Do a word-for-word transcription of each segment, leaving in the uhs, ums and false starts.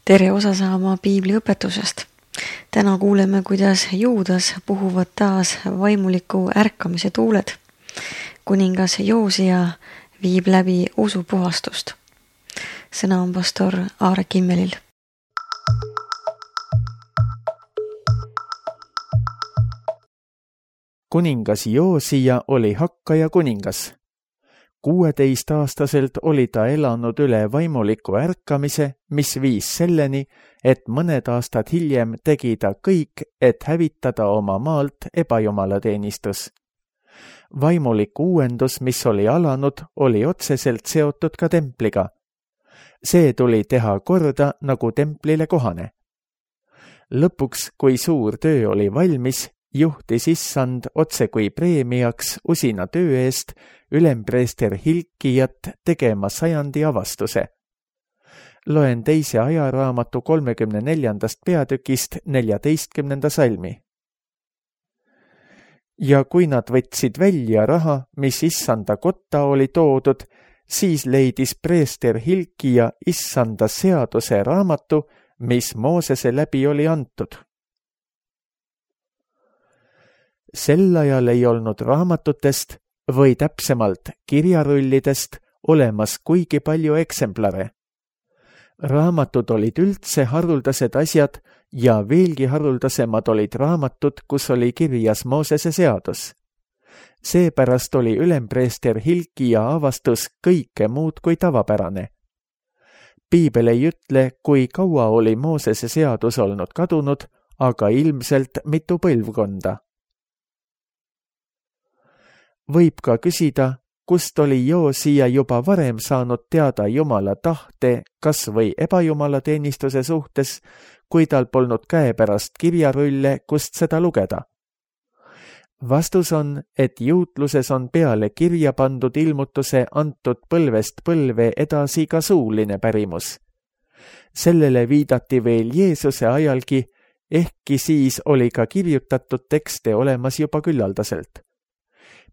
tere osa saama piibli õpetusest. Täna kuuleme, kuidas Juudas puhuvad taas vaimuliku ärkamise tuuled. Kuningas Joosia viib läbi usupuhastust. Sõna on pastor Aare Kimmelil. Kuningas Joosia oli hakkaja kuningas. kuueteistaastaselt oli ta elanud üle vaimuliku ärkamise, mis viis selleni, et mõned aastad hiljem tegi ta kõik, et hävitada oma maalt ebajumalateenistus. Vaimulik uuendus, mis oli alanud, oli otseselt seotud ka templiga. See tuli teha korda nagu templile kohane. Lõpuks, kui suur töö oli valmis, juhtis issand otse kui preemiaks usina töö eest ülempreester Hilkijat tegema sajandi avastuse. Loen teise ajaraamatu kolmekümne neljandast peatükist neljateistkümnenda salmi. Ja kui nad võtsid välja raha, mis issanda kotta oli toodud, siis leidis preester Hilkija issanda seaduse raamatu, mis Moosese läbi oli antud. Sel ajal ei olnud raamatutest või täpsemalt kirjarullidest olemas kuigi palju eksemplare. Raamatud olid üldse haruldased asjad ja veelgi haruldasemad olid raamatud, kus oli kirjas Moosese seadus. Seepärast oli ülempreester Hilkija avastus kõike muud kui tavapärane. Piibel ei ütle, kui kaua oli Moosese seadus olnud kadunud, aga ilmselt mitu põlvkonda. Võib ka küsida, kust oli Joosia juba varem saanud teada Jumala tahte kas või ebajumalateenistuse suhtes, kui tal polnud käepärast kirjarulle, kust seda lugeda. Vastus on, et juutluses on peale kirja pandud ilmutuse antud põlvest põlve edasi ka suuline pärimus. Sellele viidati veel Jeesuse ajalgi, ehkki siis oli ka kirjutatud tekste olemas juba küllaldaselt.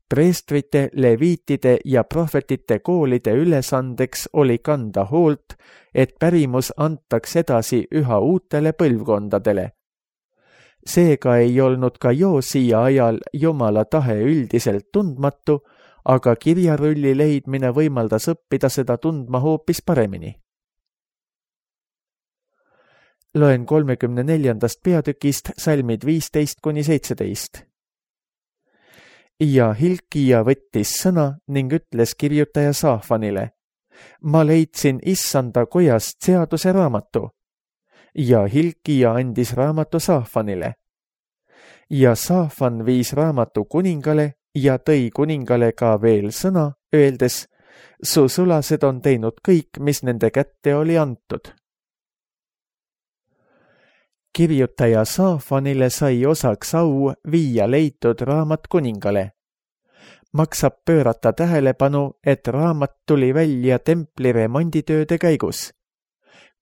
Preestrite, leviitide ja prohvetite koolide ülesandeks oli kanda hoolt, et pärimus antaks edasi üha uutele põlvkondadele. Seega ei olnud ka Joosia ajal Jumala tahe üldiselt tundmatu, aga kirjarulli leidmine võimaldas õppida seda tundma hoopis paremini. Loen kolmekümne neljandast peatükist salmid viisteist kuni seitseteist. Ja Hilkija võttis sõna ning ütles kirjutaja Saafanile, ma leidsin issanda kojast seaduse raamatu. Ja Hilkija andis raamatu Saafanile. Ja Saafan viis raamatu kuningale ja tõi kuningale ka veel sõna, öeldes, su sulased on teinud kõik, mis nende kätte oli antud. Kirjutaja Saafanile sai osaks au viia leitud raamat kuningale. Maksab pöörata tähelepanu, et raamat tuli välja templi remonditööde käigus.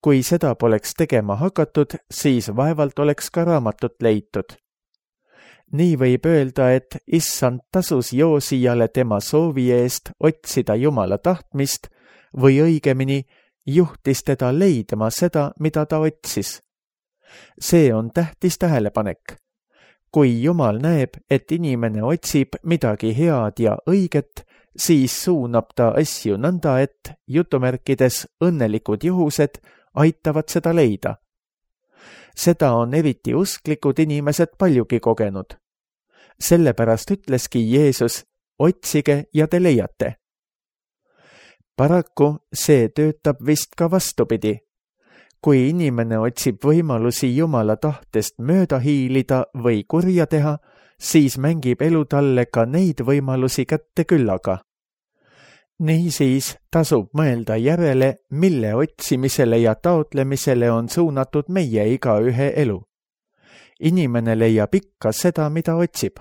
Kui seda poleks tegema hakatud, siis vaevalt oleks ka raamatut leitud. Nii võib öelda, et issand tasus Joosijale tema soovi eest otsida Jumala tahtmist või õigemini juhtis teda leidma seda, mida ta otsis. See on tähtis tähelepanek. Kui Jumal näeb, et inimene otsib midagi head ja õiget, siis suunab ta asju nõnda, et jutumärkides õnnelikud juhused aitavad seda leida. Seda on eriti usklikud inimesed paljugi kogenud. Sellepärast ütleski Jeesus, otsige ja te leiate. Paraku see töötab vist ka vastupidi. Kui inimene otsib võimalusi Jumala tahtest mööda hiilida või kurja teha, siis mängib elu talle ka neid võimalusi kätte küllaga. Niisiis tasub mõelda järele, mille otsimisele ja taotlemisele on suunatud meie igaühe elu. Inimene leiab ikka seda, mida otsib.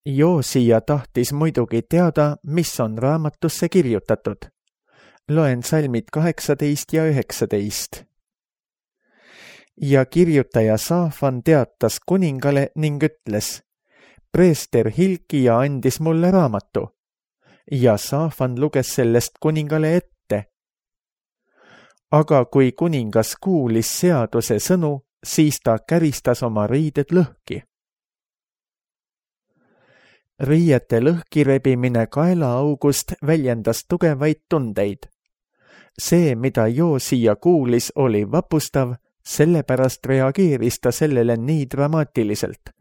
Joosia tahtis muidugi teada, mis on raamatusse kirjutatud. Loen salmid kaheksateist ja üheksateist. Ja kirjutaja Saafan teatas kuningale ning ütles, preester Hilkia andis mulle raamatu ja Saafan luges sellest kuningale ette. Aga kui kuningas kuulis seaduse sõnu, siis ta käristas oma riided lõhki. Riiete lõhkirebimine kaelaaugust väljendas tugevaid tundeid. See, mida Joosia kuulis, oli vapustav, sellepärast reageeris ta sellele nii dramaatiliselt.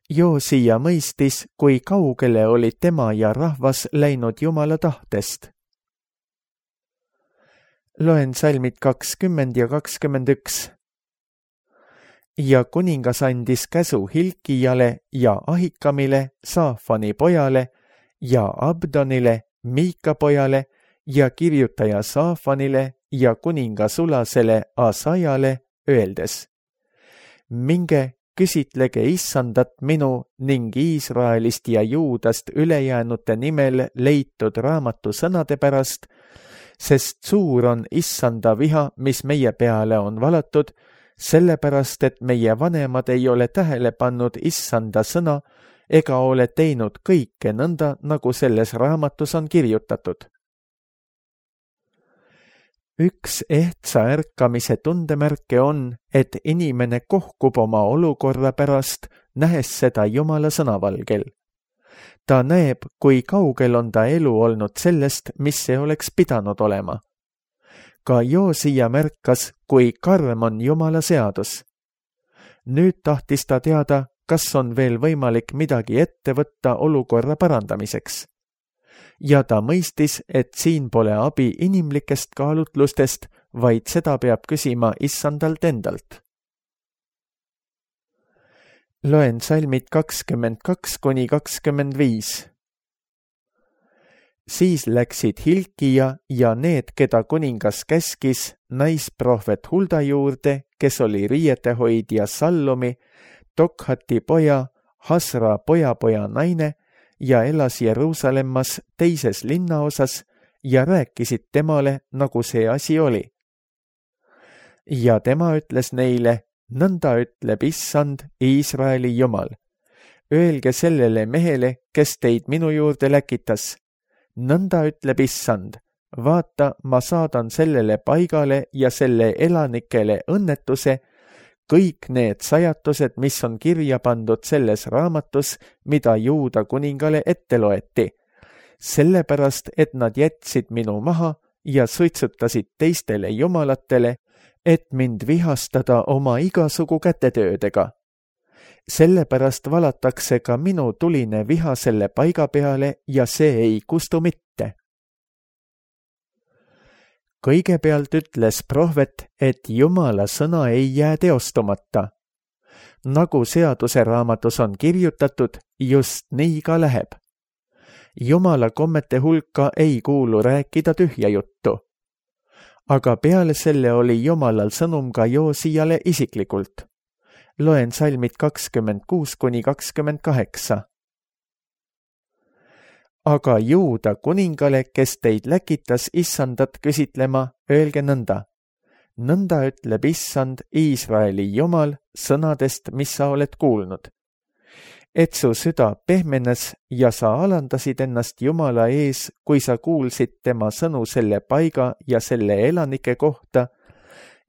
Joosia mõistis, kui kaugele oli tema ja rahvas läinud Jumala tahtest. Loen salmid kakskümmend ja kakskümmend üks. Ja kuningas andis käsu Hilkiale ja Ahikamile, Saafani pojale, ja Abdonile, Miika pojale, ja kirjutaja Saafanile ja kuninga sulasele Asajale, öeldes: minge, küsitlege issandat minu ning Iisraelist ja Juudast ülejäänute nimel leitud raamatu sõnade pärast, sest suur on issanda viha, mis meie peale on valatud, sellepärast, et meie vanemad ei ole tähele pannud issanda sõna ega ole teinud kõike nõnda, nagu selles raamatus on kirjutatud. Üks ehtsa ärkamise tundemärke on, et inimene kohkub oma olukorra pärast, nähes seda Jumala sõnavalgel. Ta näeb, kui kaugel on ta elu olnud sellest, mis see oleks pidanud olema. Ka Joosia märkas, kui karm on Jumala seadus. Nüüd tahtis ta teada, kas on veel võimalik midagi ette võtta olukorra parandamiseks. Ja ta mõistis, et siin pole abi inimlikest kaalutlustest, vaid seda peab küsima issandalt endalt. Loen salmid kakskümmend kaks kuni kakskümmend viis. Siis läksid Hilkia ja need, keda kuningas käskis, naisprohvet Hulda juurde, kes oli riietehoidja Sallumi, Tokhati poja, Hasra pojapoja naine, ja elas Jeruusalemmas teises linnaosas ja rääkisid temale, nagu see asi oli. Ja tema ütles neile: nõnda ütleb issand, Iisraeli Jumal. Öelge sellele mehele, kes teid minu juurde läkitas. Nõnda ütleb issand, vaata, ma saadan sellele paigale ja selle elanikele õnnetuse, kõik need sajatused, mis on kirja pandud selles raamatus, mida Juuda kuningale ette loeti, sellepärast, et nad jätsid minu maha ja suitsutasid teistele jumalatele, et mind vihastada oma igasugu kätetöödega. Sellepärast valatakse ka minu tuline viha selle paiga peale ja see ei kustu mitte. Kõigepealt ütles prohvet, et Jumala sõna ei jää teostumata. Nagu seaduse raamatus on kirjutatud, just nii ka läheb. Jumala kommete hulka ei kuulu rääkida tühja juttu. Aga peale selle oli Jumalal sõnum ka Joosiale isiklikult. Loen salmid kakskümmend kuus kuni kakskümmend kaheksa. Aga Juuda kuningale, kes teid läkitas issandat küsitlema, öelge nõnda. Nõnda ütleb issand, Iisraeli Jumal, sõnadest, mis sa oled kuulnud. Et su süda pehmenes ja sa alandasid ennast Jumala ees, kui sa kuulsid tema sõnu selle paiga ja selle elanike kohta,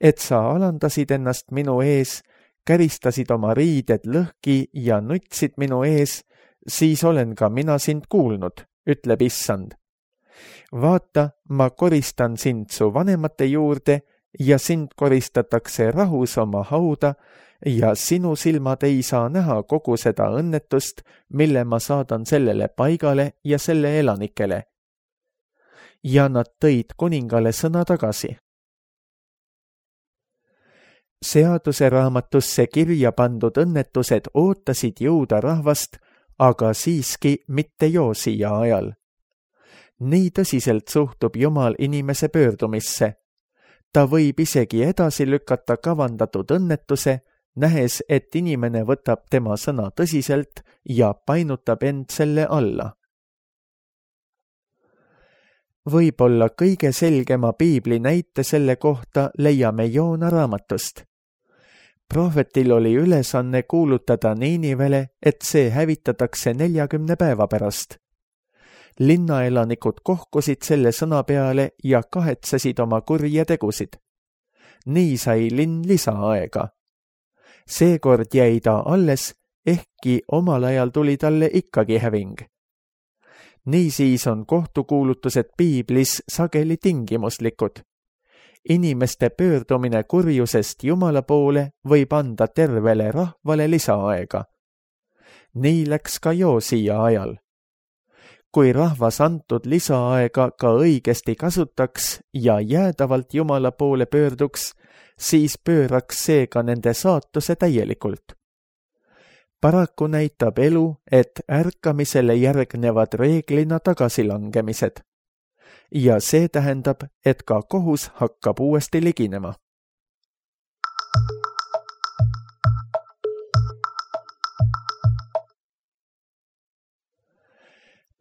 et sa alandasid ennast minu ees, käristasid oma riided lõhki ja nutsid minu ees, siis olen ka mina sind kuulnud, ütleb issand. Vaata, ma koristan sind su vanemate juurde ja sind koristatakse rahus oma hauda ja sinu silmad ei saa näha kogu seda õnnetust, mille ma saadan sellele paigale ja selle elanikele. Ja nad tõid kuningale sõna tagasi. Seaduse raamatusse kirja pandud õnnetused ootasid Juuda rahvast, aga siiski mitte Joosia ajal. Nii tõsiselt suhtub Jumal inimese pöördumisse. Ta võib isegi edasi lükata kavandatud õnnetuse, nähes, et inimene võtab tema sõna tõsiselt ja painutab end selle alla. Võib-olla kõige selgema piibli näite selle kohta leiame Joona raamatust. Prohvetil oli ülesanne kuulutada Niinivele, et see hävitatakse neljakümne päeva pärast. Linnaelanikud kohkusid selle sõna peale ja kahetsesid oma kurje tegusid. Nii sai linn lisaaega. Seekord jäi ta alles, ehkki omal ajal tuli talle ikkagi häving. Niisiis on kohtukuulutused piiblis sageli tingimuslikud. Inimeste pöördumine kurjusest Jumala poole võib anda tervele rahvale lisaaega. Nii läks ka Joosia ajal. Kui rahvas antud lisaaega ka õigesti kasutaks ja jäädavalt Jumala poole pöörduks, siis pööraks see ka nende saatuse täielikult. Paraku näitab elu, et ärkamisele järgnevad reeglina tagasilangemised. Ja see tähendab, et ka kohus hakkab uuesti liginema.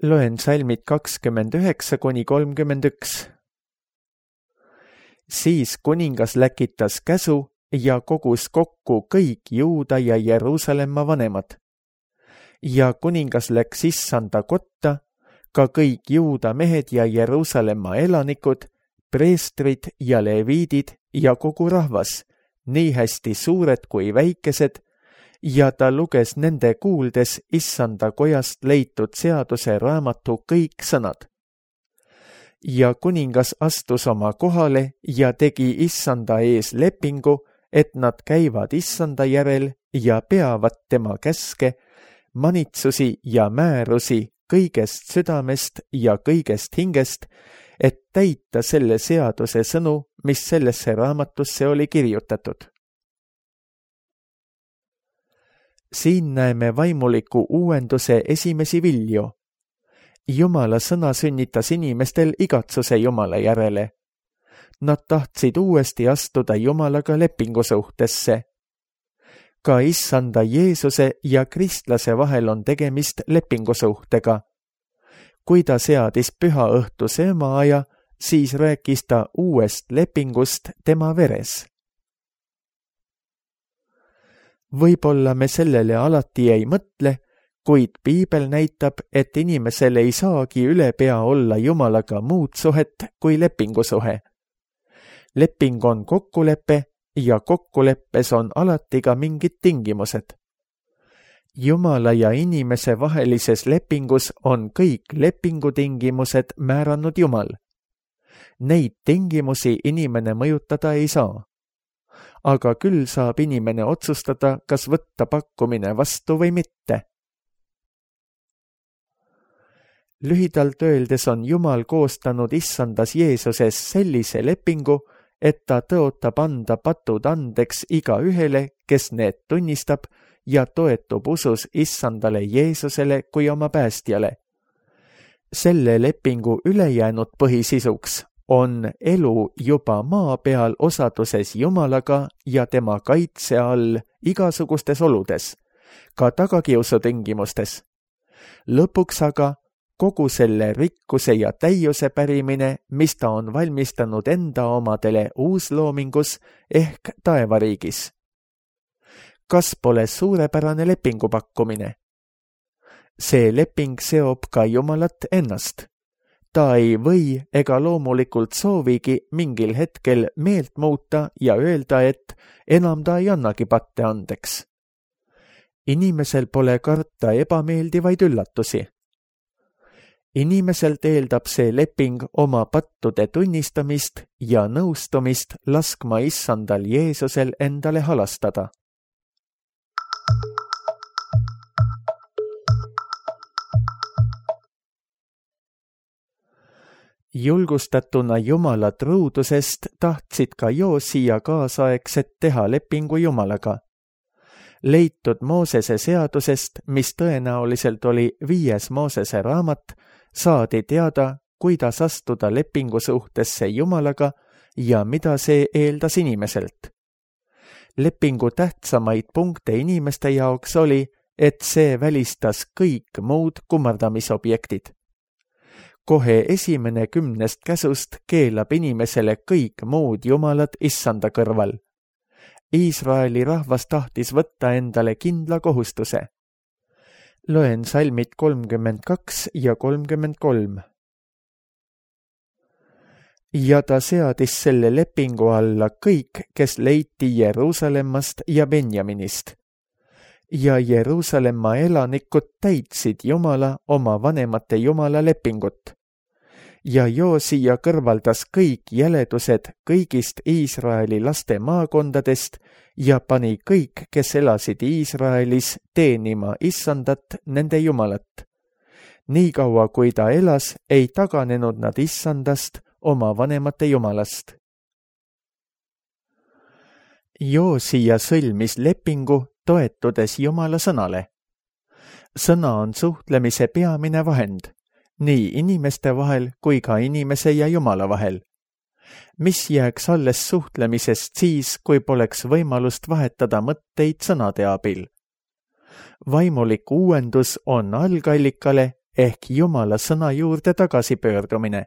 Loen salmid kakskümmend üheksa kuni kolmkümmend üks. Siis kuningas läkitas käsu ja kogus kokku kõik Juuda ja Jeruusalemma vanemad. Ja kuningas läks issanda kotta, ka kõik Juuda mehed ja Jeruusalemma elanikud, preestrid ja leviidid ja kogu rahvas, nii hästi suured kui väikesed, ja ta luges nende kuuldes issanda kojast leitud seaduse raamatu kõik sõnad. Ja kuningas astus oma kohale ja tegi issanda ees lepingu, et nad käivad issanda järel ja peavad tema käske, manitsusi ja määrusi kõigest südamest ja kõigest hingest, et täita selle seaduse sõnu, mis sellesse raamatusse oli kirjutatud. Siin näeme vaimuliku uuenduse esimesi vilju. Jumala sõna sünnitas inimestel igatsuse Jumala järele. Nad tahtsid uuesti astuda Jumalaga lepingusuhtesse. Ka issanda Jeesuse ja kristlase vahel on tegemist lepingusuhtega. Kui ta seadis püha õhtuse ömaaja, siis rääkis ta uuest lepingust tema veres. Võib-olla me sellele alati ei mõtle, kuid piibel näitab, et inimesel ei saagi ülepea olla Jumalaga muud suhet kui lepingusuhe. Leping on kokkulepe ja kokkuleppes on alati ka mingid tingimused. Jumala ja inimese vahelises lepingus on kõik lepingutingimused määranud Jumal. Neid tingimusi inimene mõjutada ei saa. Aga küll saab inimene otsustada, kas võtta pakkumine vastu või mitte. Lühidalt öeldes on Jumal koostanud issandas Jeesuses sellise lepingu, et ta tõotab anda patud andeks iga ühele, kes need tunnistab ja toetub usus issandale Jeesusele kui oma päästjale. Selle lepingu ülejäänud põhisisuks on elu juba maa peal osaduses Jumalaga ja tema kaitse all igasugustes oludes, ka tagakiusu tingimustes. Lõpuks aga kogu selle rikkuse ja täiuse pärimine, mis ta on valmistanud enda omadele uusloomingus ehk taevariigis. Kas pole suurepärane lepingu pakkumine? See leping seob ka Jumalat ennast. Ta ei või ega loomulikult soovigi mingil hetkel meelt muuta ja öelda, et enam ta ei annagi patte andeks. Inimesel pole karta ebameeldivaid üllatusi. Inimeselt eeldab see leping oma pattude tunnistamist ja nõustumist laskma issandal Jeesusel endale halastada. Julgustatuna Jumala truudusest tahtsid ka Joosia kaasaegset teha lepingu Jumalaga. Leitud Moosese seadusest, mis tõenäoliselt oli viies Moosese raamat, saadi teada, kuidas astuda lepingusuhtesse Jumalaga ja mida see eeldas inimeselt. Lepingu tähtsamaid punkte inimeste jaoks oli, et see välistas kõik muud kummardamisobjektid. Kohe esimene kümnest käsust keelab inimesele kõik muud jumalad issanda kõrval. Iisraeli rahvas tahtis võtta endale kindla kohustuse. Loen salmid kolmkümmend kaks ja kolmkümmend kolm. Ja ta seadis selle lepingu alla kõik, kes leiti Jeruusalemmast ja Benjaminist. Ja Jeruusalemma elanikud täitsid Jumala oma vanemate Jumala lepingut. Ja Joosia kõrvaldas kõik jäledused kõigist Iisraeli laste maakondadest ja pani kõik, kes elasid Iisraelis, teenima Issandat nende Jumalat. Niikaua kui ta elas, ei taganenud nad Issandast, oma vanemate Jumalast. Joosia sõlmis lepingu, toetudes Jumala sõnale. Sõna on suhtlemise peamine vahend, nii inimeste vahel kui ka inimese ja Jumala vahel. Mis jääks alles suhtlemisest siis, kui poleks võimalust vahetada mõtteid sõnade abil? Vaimulik uuendus on algallikale ehk Jumala sõna juurde tagasipöördumine.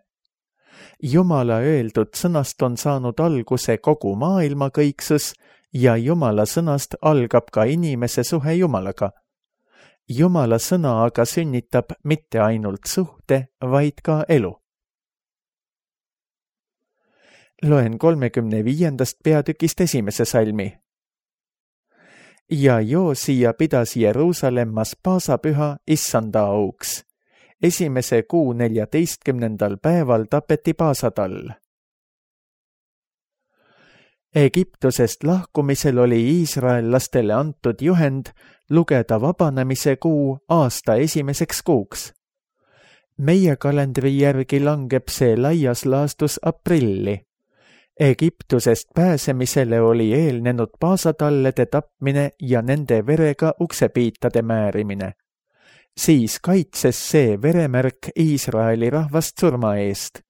Jumala öeldud sõnast on saanud alguse kogu maailma kõiksus ja Jumala sõnast algab ka inimese suhe Jumalaga. Jumala sõna aga sünnitab mitte ainult suhte, vaid ka elu. Loen kolmekümne viiendast peatükist esimese salmi. Ja Joosia pidas Jeruusalemmas paasapüha Issanda auks. Esimese kuu neljateistkümnendal päeval tapeti paasatall. Egiptusest lahkumisel oli iisraellastele antud juhend lugeda vabanemise kuu aasta esimeseks kuuks. Meie kalendri järgi langeb see laias laastus aprilli. Egiptusest pääsemisele oli eelnenud paasatallede tapmine ja nende verega uksepiitade määrimine. Siis kaitses see veremärk Iisraeli rahvast surma eest.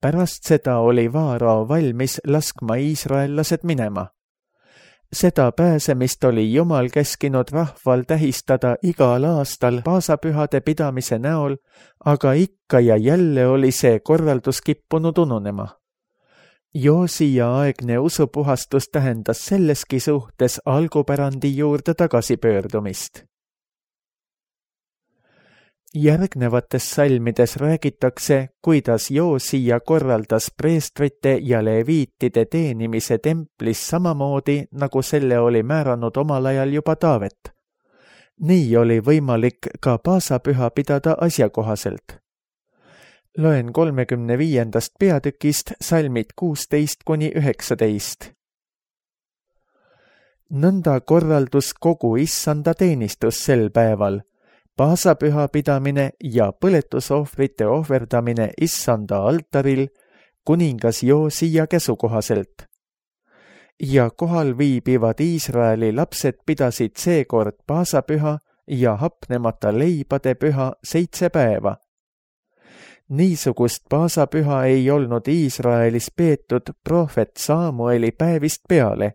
Pärast seda oli Vaarao valmis laskma iisraellased minema. Seda pääsemist oli Jumal käskinud rahval tähistada igal aastal paasapühade pidamise näol, aga ikka ja jälle oli see korraldus kippunud ununema. Joosia aegne usupuhastus tähendas selleski suhtes algupärandi juurde tagasipöördumist. Järgnevates salmides räägitakse, kuidas Joosia korraldas preestrite ja leviitide teenimise templis samamoodi, nagu selle oli määranud omal ajal juba Taavet. Nii oli võimalik ka paasapüha pidada asjakohaselt. Loen kolmekümne viiendast peatükist salmid kuusteist kuni üheksateist. Nõnda korraldus kogu Issanda teenistus sel päeval, paasapüha pidamine ja põletusohvrite ohverdamine Issanda altaril kuningas Joosia käsukohaselt. Ja kohal viibivad Iisraeli lapsed pidasid seekord paasapüha ja hapnemata leibade püha seitse päeva. Niisugust paasapüha ei olnud Iisraelis peetud prohvet Saamueli päevist peale,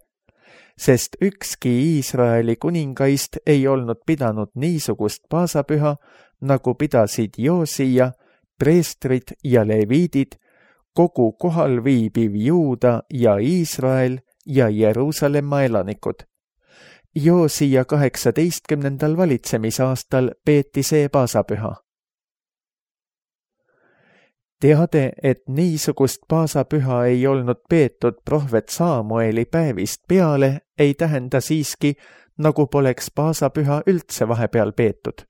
sest ükski Iisraeli kuningaist ei olnud pidanud niisugust paasapüha, nagu pidasid Joosia, preestrid ja leviidid, kogu kohal viibiv Juuda ja Iisrael ja Jeruusalemma elanikud. Joosia kaheksateistkümnendal valitsemisaastal peeti see paasapüha. Teade, et niisugust paasapüha ei olnud peetud prohvet Saamueli päevist peale, ei tähenda siiski, nagu poleks paasapüha üldse vahepeal peetud.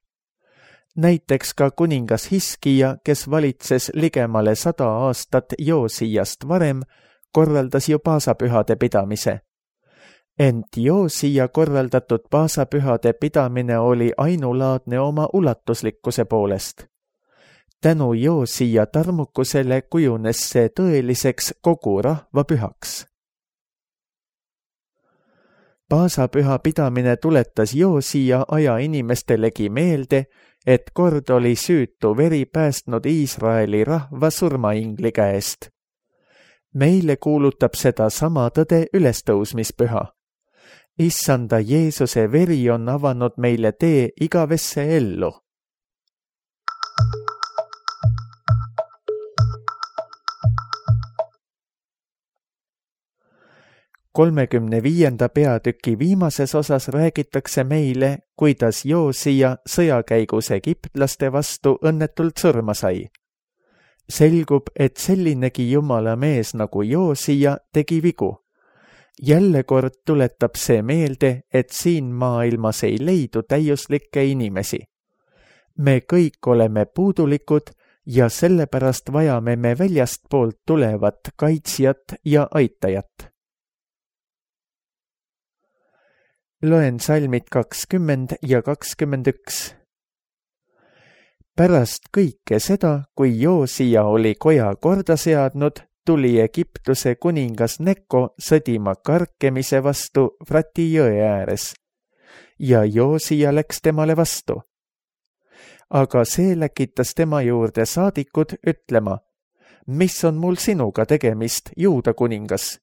Näiteks ka kuningas Hiskija, kes valitses ligemale sada aastat Joosiast varem, korraldas ju paasapühade pidamise. Ent Joosia korraldatud paasapühade pidamine oli ainulaadne oma ulatuslikkuse poolest. Tänu Joosia tarmukusele kujunes see tõeliseks kogu rahva pühaks. Paasapüha pidamine tuletas Joosia aja inimestelegi meelde, et kord oli süütu veri päästnud Iisraeli rahva surmaingli käest. Meile kuulutab seda sama tõde ülestõusmispüha. Issanda Jeesuse veri on avanud meile tee igavesse ellu. kolmekümne viienda peatüki viimases osas räägitakse meile, kuidas Joosia sõjakäigus egiptlaste vastu õnnetult surma sai. Selgub, et sellinegi jumala mees nagu Joosia tegi vigu. Jälle kord tuletab see meelde, et siin maailmas ei leidu täiuslikke inimesi. Me kõik oleme puudulikud ja sellepärast vajame me väljastpoolt tulevat kaitsjat ja aitajat. Loen salmid kakskümmend ja kakskümmend üks. Pärast kõike seda, kui Joosia oli koja korda seadnud, tuli Egiptuse kuningas Neko sõdima Karkemise vastu Frati jõe ääres ja Joosia läks temale vastu. Aga see läkitas tema juurde saadikud ütlema, mis on mul sinuga tegemist, Juuda kuningas?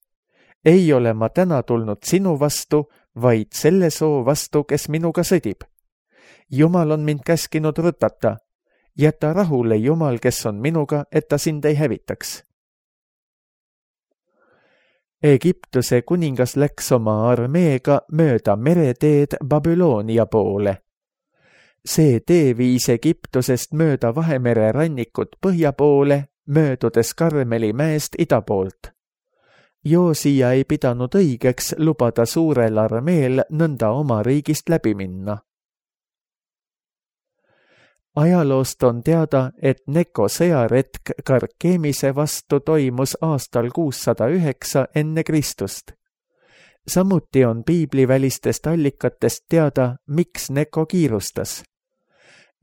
Ei ole ma täna tulnud sinu vastu, vaid selle soo vastu, kes minuga sõdib. Jumal on mind käskinud rutata. Jäta rahule Jumal, kes on minuga, et ta sind ei hävitaks. Egiptuse kuningas läks oma armeega mööda mereteed Babyloonia poole. See tee viis Egiptusest mööda Vahemere rannikut põhja poole, möödudes Karmeli mäest ida poolt. Joosia ei pidanud õigeks lubada suurel armeel nõnda oma riigist läbi minna. Ajaloost on teada, et Neko sõjaretk Karkemise vastu toimus aastal kuussada üheksa enne Kristust. Samuti on piiblivälistest allikatest teada, miks Neko kiirustas.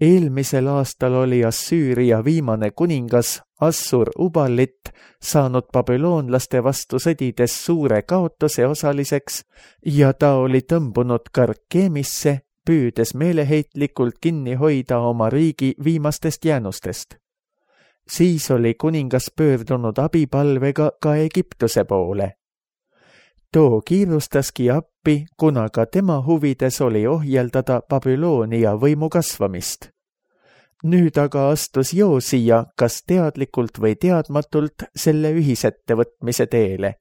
Eelmisel aastal oli Assüüria viimane kuningas Assur Uballit saanud babüloonlaste vastu sõdides suure kaotuse osaliseks ja ta oli tõmbunud Karkemisse, püüdes meeleheitlikult kinni hoida oma riigi viimastest jäänustest. Siis oli kuningas pöördunud abipalvega ka Egiptuse poole. Too kiirustaski appi, kuna ka tema huvides oli ohjeldada Babyloonia võimu kasvamist. Nüüd aga astus Joosia kas teadlikult või teadmatult selle ühisettevõtmise teele.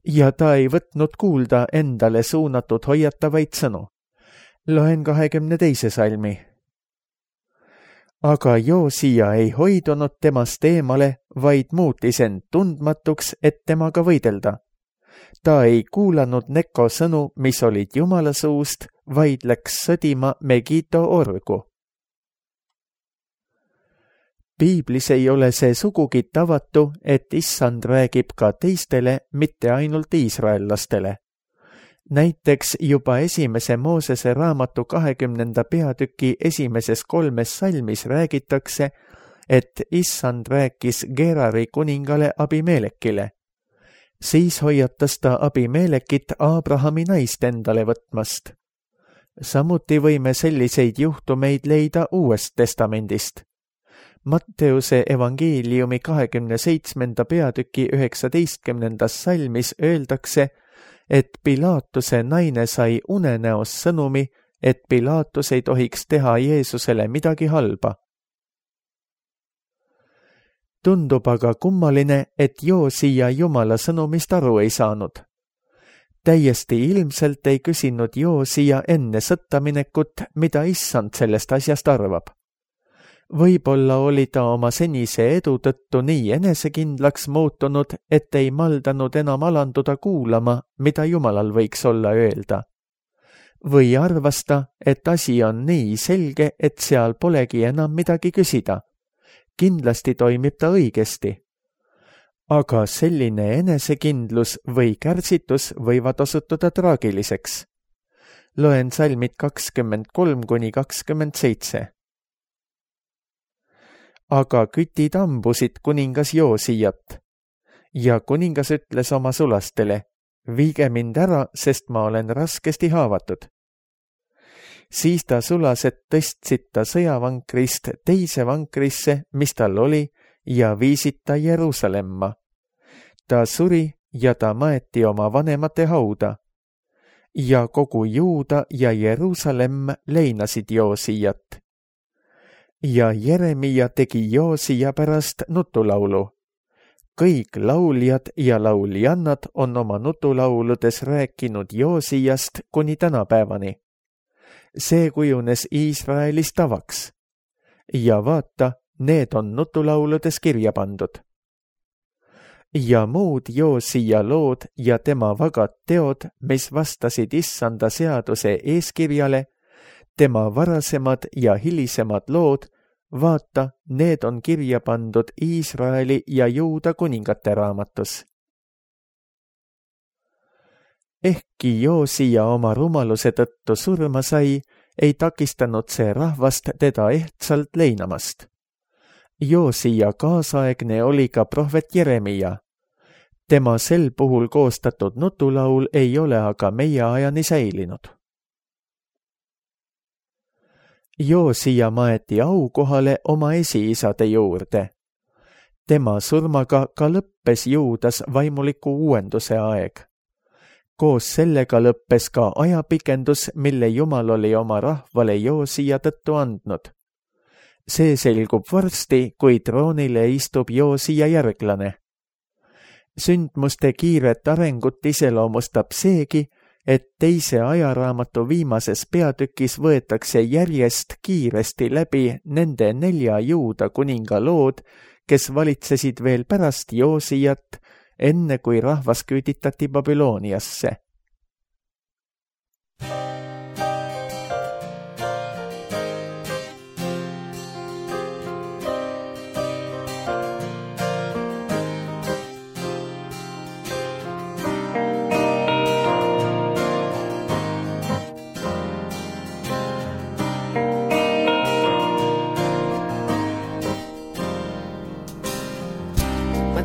Ja ta ei võtnud kuulda endale suunatud hoiatavaid sõnu. Loen kahekümne teise salmi. Aga Joosia ei hoidunud temast eemale, vaid muutis end tundmatuks, et temaga võidelda. Ta ei kuulanud Neko sõnu, mis olid Jumala suust, vaid läks sõdima Megiddo orgu. Piiblis ei ole see sugugi tavatu, et issand räägib ka teistele, mitte ainult iisraellastele. Näiteks juba esimese Moosese raamatu kahekümnenda peatüki esimeses kolmes salmis räägitakse, et issand rääkis Gerari kuningale Abimelekile. Siis hoiatas ta Abimelekit Abrahami naist endale võtmast. Samuti võime selliseid juhtumeid leida Uuest testamendist. Matteuse evangeeliumi kahekümne seitsmenda peatüki üheksateistkümnendas salmis öeldakse, et Pilaatuse naine sai unenäos sõnumi, et Pilaatus ei tohiks teha Jeesusele midagi halba. Tundub aga kummaline, et Joosia Jumala sõnumist aru ei saanud. Täiesti ilmselt ei küsinud Joosia enne sõtta minekut, mida issand sellest asjast arvab. Võib-olla oli ta oma senise edu tõttu nii enesekindlaks muutunud, et ei maldanud enam alanduda kuulama, mida Jumalal võiks olla öelda. Või arvas ta, et asi on nii selge, et seal polegi enam midagi küsida. Kindlasti toimib ta õigesti. Aga selline enesekindlus või kärsitus võivad osutuda traagiliseks. Loen salmid kakskümmend kolm kuni kakskümmend seitse. Aga kütid ambusid kuningas Joosijat. Ja kuningas ütles oma sulastele, viige mind ära, sest ma olen raskesti haavatud. Siis ta sulased tõstsid ta sõjavankrist teise vankrisse, mis tal oli, ja viisid ta Jeruusalemma. Ta suri ja ta maeti oma vanemate hauda. Ja kogu Juuda ja Jeruusalemm leinasid Joosijat. Ja Jeremia tegi Joosia pärast nutulaulu. kõik lauljad ja lauljannad on oma nutulauludes rääkinud Joosijast kuni tänapäevani. See kujunes Iisraelis tavaks. Ja vaata, need on nutulauludes kirja pandud. Ja muud Joosija lood ja tema vagad teod, mis vastasid Issanda seaduse eeskirjale, tema varasemad ja hilisemad lood, vaata, need on kirja pandud Iisraeli ja Juuda kuningate raamatus. Ehkki Joosija oma rumaluse tõttu surma sai, ei takistanud see rahvast teda ehtsalt leinamast. Joosija kaasaegne oli ka prohvet Jeremia. Tema sel puhul koostatud nutulaul ei ole aga meie ajani säilinud. Joosija maeti aukohale oma esiisade juurde. Tema surmaga ka lõppes Juudas vaimuliku uuenduse aeg. Koos sellega lõppes ka ajapikendus, mille Jumal oli oma rahvale Joosija tõttu andnud. See selgub varsti, kui troonile istub Joosija järglane. Sündmuste kiiret arengut iseloomustab seegi, et teise ajaraamatu viimases peatükis võetakse järjest kiiresti läbi nende nelja Juuda kuninga lood, kes valitsesid veel pärast Joosijat, enne kui rahvas küüditati Babyloniasse.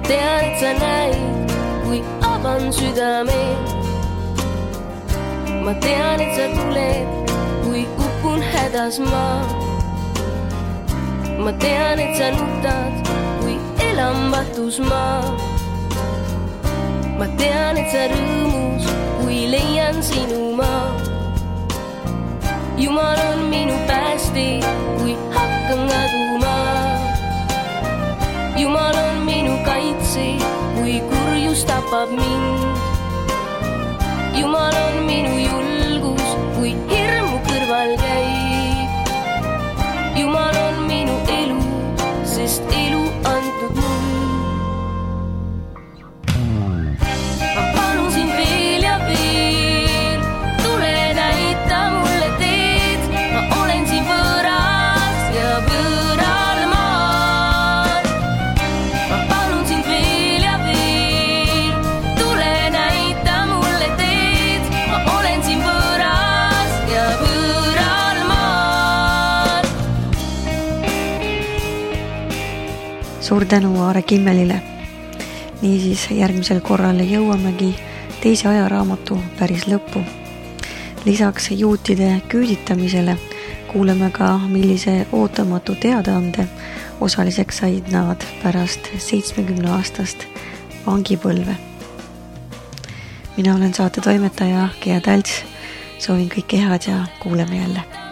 Tean, et sa näid, kui avan südame. Ma tean, et sa tuled, kui kukun hädas ma. Ma tean, et sa nutad, kui elan vatus ma. Ma tean, et sa rõõmus, kui leian sinu ma. Jumal on minu päästi, kui hakkan kaduma. Jumal on minu kaitse, kui kurjus tapab mind. Jumal on minu julgus, kui hirmu kõrval käib. Jumal on minu elu, sest elu antud mul. Ma palun sind veel ja veel, tule näita mulle teed. Ma olen siin võõras ja võõral. Suur tänu Aare Kimmelile. Niisiis järgmisel korral jõuamegi teise ajaraamatu päris lõppu. Lisaks juutide küüditamisele kuuleme ka, millise ootamatu teadaande osaliseks said nad pärast seitsmekümne aastast vangipõlve. Mina olen saate toimetaja Gea Talts. Soovin kõike head ja kuuleme jälle.